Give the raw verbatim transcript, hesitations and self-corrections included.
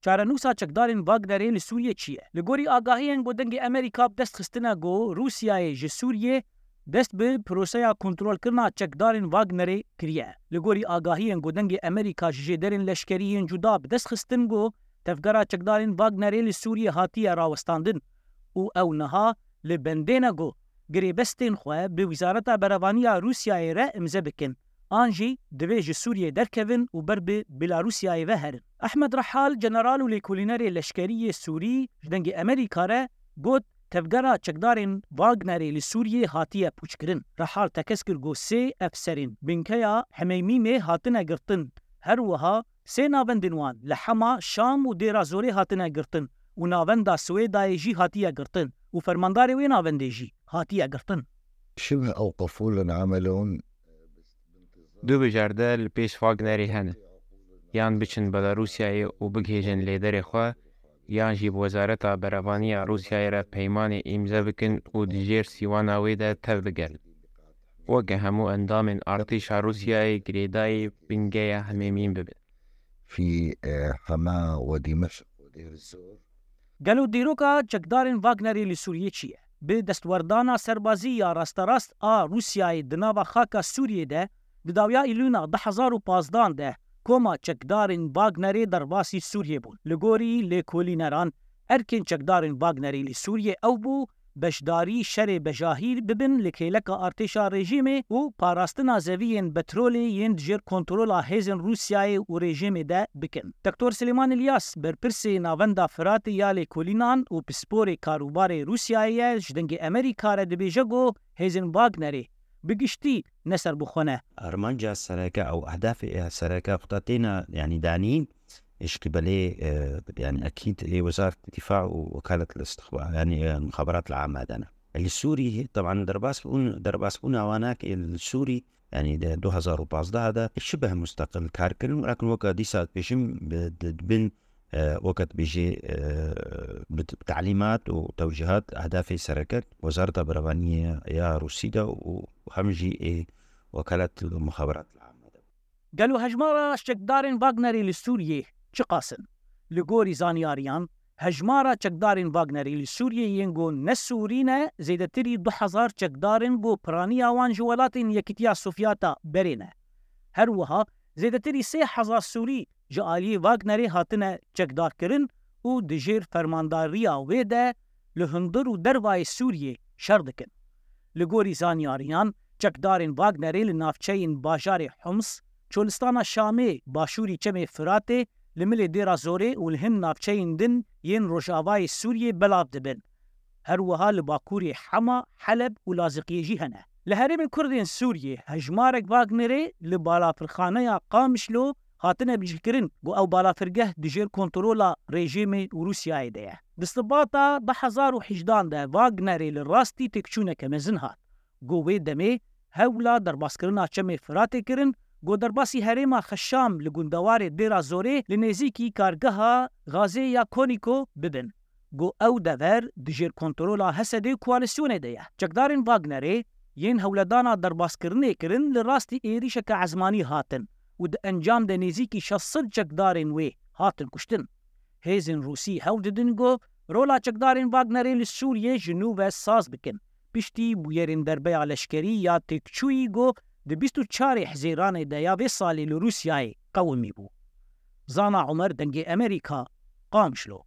Çarenûsa çekdarên Wagnerê li Sûriyê çi ye? Li gorî agahiyên ku Dengê Amerîka bi dest xistine ku Rûsyayê ji Sûriyê dest bi proseya kontrolkirina çekdarên Wagnerê kiriye. Li gorî agahiyên ku Dengê Amerîka ji jêderên leşkerî yên cuda bi dest xistin ku tevgera çekdarên Wagnerê li Sûriyê hatiye rawestandin û ew niha li bendê ne ku girêbestên xwe bi Wizareta Berevanî ya Rûsyayê re îmze bikin, an jî divê ji Sûriyê derkevin û ber bi Belarusyayê ve herin. Ehmed Rehal, general û lêkolînerê leşkerî yê Sûrî ji Dengê Amerîka re got, tevgera çekdarên Wagnerê li Sûriyê hatiye pûçkirin. Rehal tekez kir ku sê efserên binkeya Hemeymîmê hatine girtin. Her wiha sê navendên wan li Hema, Şam û Dêra Zorê hatine girtin û navenda Swêdayê jî hatiye girtin û fermandarê wê navendê jî hatiye girtin. شبه أوقفوا لنا عملهم. Du bijerde li pêş Wagnerê hene. Yan biçin Belarûsyayê û bigihêjin lêderê xwe, yan jî bi Wezareta Berevanî ya Rûsyayê re peymanê îmze bikin û di jêr sîwana wê de tev bigerin. Weke hemû endamên artêşa Rûsyayê girêdayî bingeya Hemêmîn bibin. في آه، حماة ودمشق ودير الزور. Gelo dîroka çekdarên Wagnerê li Sûriyê çi ye? Bi destwerdana serbazî ya rasterast a Rûsyayê di nava xaka Sûriyê de, di dawiya Îlûna du hezar û pazdan de koma çekdarên Wagnerê derbasî Sûriyê bûn. Li gorî lêkolîneran, erkên çekdarên Wagnerê li Sûriyê ew bû, beşdarî şerê bejahî bibin li kêleka artêşa rejîmê û parastina zeviyên petrolê yên di jêr kontrola hêzên Rûsyayê û rejîmê de bikin. Doktor Silêman Îlyas, berpirsê Navenda Firatê ya lêkolînan û pisporê karûbarê Rûsyayê ye, ji Dengê Amerîka re dibêje ku hêzên Wagnerê bi giştî ne serbixwe ne. Armanca sereke ew ehdafê sereke xwe têna, yanî danîn, ji qibelê, e, yanî ekîd ê Wezaret Dîfa û Wekalet Listixba-, yanî, e, Mixaberat Lame de ne. Li Sûrî, teban derbas bûn, derbas bûna wana ki li Sûrî, yanî di du hezar û pazdeh de şibeh musteqil kar kirin, welakin weke dîsa dibêjim, bi, di, dibin, e, weke dibêjê, e, bi, bi talîmat û tewcîhat ehdafê sereke Wezareta Berevaniyê ya Rûsî de û hem jî ê Wekalet Mixaberat Lame de. Gelo hejmara çekdarên Wagnerê li Sûriyê çiqas in? Li gorî zanyariyan, hejmara çekdarên Wagnerê li Sûriyê yên ku ne Sûrî ne, zêdetirî du hezar çekdar in ku piraniya wan ji welatên Yekîtiya Sovyeta berê ne. Her wiha zêdetirî sê hezar Sûrî ji aliyê Wagnerê hatine çekdarkirin û di jêr fermandariya wê de li hundir û dervayê Sûriyê şer dikin. Li gorî zanyariyan, çekdarên Wagnerê li navçeyên bajarê Homs, çolistana Şamê, başûrî Çemê Firatê, li milê Dêra Zorê û li hin navçeyên din yên rojavayê Sûriyê belav dibin. Her wiha li bakurê Hema, Heleb û Laziqiyê jî hene. Li herêmên Kurd ên Sûriyê hejmarek Wagnerê li balafirxaneya Qamişlo hatine bicihkirin ku ew balafirgeh di jêr kontrola rejîmê û Rûsyayê de ye. Di Sibata du hezar û hejdan de Wagnerê li rastî têkçûneke mezin hat. Ku wê demê hewla derbaskirina Çemê Firatê kirin, ku derbasî herêma Xeşam li gundewarê Dêra Zorê li nêzîkî kargeha gazê ya Konîko bibin. Ku ew dever di jêr kontrola Hesedê û koalîsyonê de ye. Çekdarên Wagnerê yên hewledana derbaskirinê kirin li rastî êrîşeke ezmanî hatin û di encam de nêzîkî şeş sed çekdarên wê hatin kuştin. Hêzên Rûsî hewl didin ku rola çekdarên Wagnerê li Sûriyê ji nû ve saz bikin. Piştî bûyerên derbeya leşkerî ya têkçûyî ku di bîst û çarê Hizêranê de ya vê salê li Rûsyayê qewimî bû. Zana Omer, Dengê Amerîka, Qamişlo.